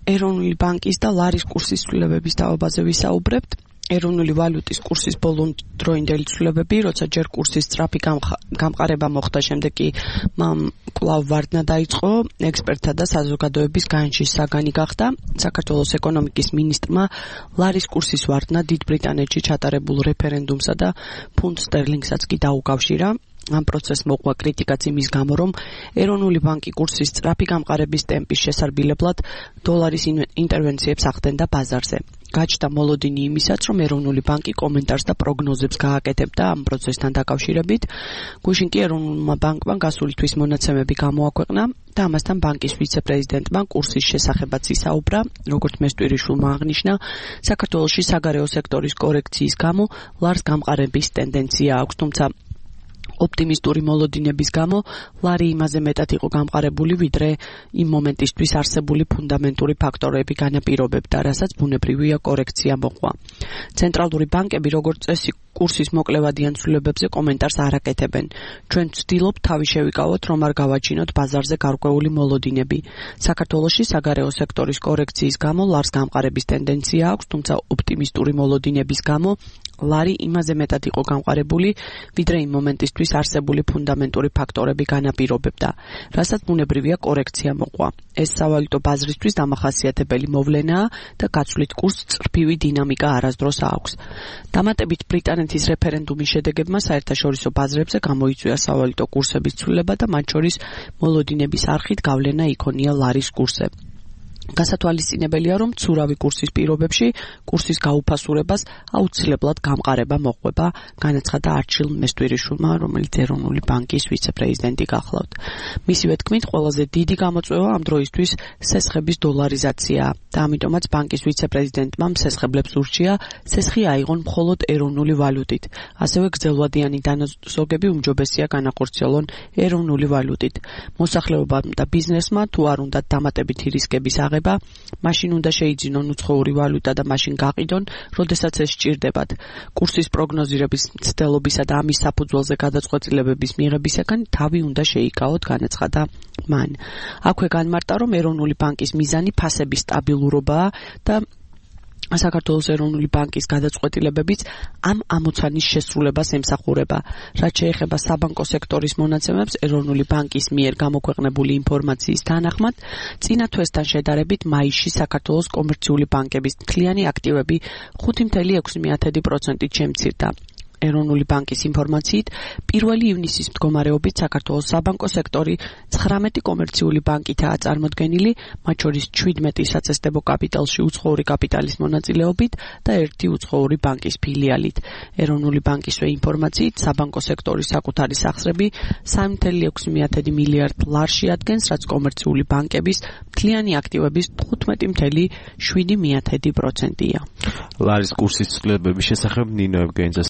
ეროვნული ბანკის და ლარის კურსის ცვლილებების დაობაზე ვისაუბრებთ. ეროვნული ვალუტის კურსის ბოლოდროინდელი ცვლილებები, როცა ჯერ კურსის სწრაფი გამყარება მოხდა, შემდეგ კი კვლავ ვარდნა დაიწყო, ექსპერტთა და საზოგადოების განშის საგანი გახდა. საქართველოს ეკონომიკის მინისტრმა ლარის კურსის ვარდნა დიდ ბრიტანეთში ჩატარებულ რეფერენდუმსა და ფუნტ სტერლინგსაც კი დაუკავშირა. ამ პროცესს მოყვა კრიტიკაც იმის გამო, რომ ეროვნული ბანკი კურსის სწრაფი გამყარების ტემპის შესარბილებლად დოლარის ინტერვენციებს ახდენდა ბაზარზე. გაჩნდა მოლოდინი იმისაც, რომ ეროვნული ბანკი კომენტარს და პროგნოზებს გააკეთებდა ამ პროცესთან დაკავშირებით. გუშინ კი ეროვნულმა ბანკმა გასული თვის მონაცემები გამოაქვეყნა და ამასთან ბანკის ვიცე-პრეზიდენტმა კურსის შესახებაც ისაუბრა. როგორც მესტვირიშვილმა აღნიშნა, საქართველოში საგარეო სექტორის კორექციის გამო ლარს გამყარების ტენდენცია აქვს, თუმცა ოპტიმისტური მოლოდინების გამო ლარი იმაზე მეტად იყო გამყარებული, ვიდრე იმ მომენტისთვის არსებული ფუნდამენტური ფაქტორები განაპირობებდა, რასაც ბუნებრივია კორექცია მოყვა. ცენტრალური ბანკები, როგორც წესი, კურსის მოკლევადიან ცვლილებებზე კომენტარს არ აკეთებენ. ჩვენ ვცდილობთ თავი შევიკავოთ, რომ არ გავაჩინოთ ბაზარზე გარკვეული მოლოდინები. საქართველოში საგარეო სექტორის კორექციის გამო ლარს გამყარების ტენდენცია აქვს, თუმცა ოპტიმისტური მოლოდინების გამო ლარი იმაზე მეტად იყო გამყარებული, ვიდრე იმ მომენტისთვის არსებული ფუნდამენტური ფაქტორები განაპირობებდა, რასაც ბუნებრივია კორექცია მოყვა. ეს სავალუტო ბაზრისთვის დამახასიათებელი მოვლენაა და გაცვლით კურსს წრფივი დინამიკა არასდროს აქვს. დამატებით ბრიტანეთის რეფერენდუმის შედეგებმა საერთაშორისო ბაზრებზე გამოიწვია სავალუტო კურსების ცვლილება და მათ შორის მოლოდინების არხით გავლენა იქონია ლარის კურსზე. გასათვალისწინებელია, რომ ცურავი კურსის პირობებში კურსის გაუფასურებას აუცილებლად გამყარება მოყვება, განაცხადა არჩილ მესტვირიშვილმა, რომელიც ეროვნული ბანკის ვიცე-პრეზიდენტი გახლავთ. მისივე თქმით, ყველაზე დიდი გამოწვევა ამ დროისთვის სესხების დოლარიზაციაა და ამიტომაც ბანკის ვიცე-პრეზიდენტმა სესხებლებს ურჩია სესხი აიღონ მხოლოდ ეროვნული ვალუტით. ასევე გრძელვადიანი დანაზოგები უმჯობესია განახორციელონ ეროვნული ვალუტით. მოსახლეობამ და ბიზნესმა თუ არ უნდათ დამატებითი რისკების აღება, მაშინ უნდა შეიძინონ უცხოური ვალუტა და მაშინ გაყიდონ, როდესაც ეს სჭირდებათ. კურსის პროგნოზირების მცდელობისა და ამის საფუძველზე გადაწყვეტილებების მიღებისაგან თავი უნდა შეიკავოთ, განაცხადა მან. აქვე განმარტა, რომ ეროვნული ბანკის მიზანი ფასების სტაბილურობაა და საქართველოს ეროვნული ბანკის გადაწყვეტილებებიც ამ ამოცანის შესრულებას ემსახურება. რაც შეეხება საბანკო სექტორის მონაცემებს, ეროვნული ბანკის მიერ გამოქვეყნებული ინფორმაციის თანახმად, წინა თვესთან შედარებით მაისში საქართველოს კომერციული ბანკების მთლიანი აქტივები 5.6%-ით შემცირდა. ეროვნული ბანკის ინფორმაციით, 1 ივნისის მდგომარეობით საქართველოს საბანკო სექტორი 19 კომერციული ბანკითაა წარმოდგენილი, მათ შორის 17 საწესდებო კაპიტალში უცხოური კაპიტალის მონაწილეობით და 1 უცხოური ბანკის ფილიალით. ეროვნული ბანკისვე ინფორმაციით, საბანკო სექტორის საკუთარი სახსრები 3.6 მილიარდ ლარში ადგენს, რაც კომერციული ბანკების მთლიანი აქტივების 15.7%-ია. ლარის კურსის ცვლილებების შესახებ ნინო ევგენიძე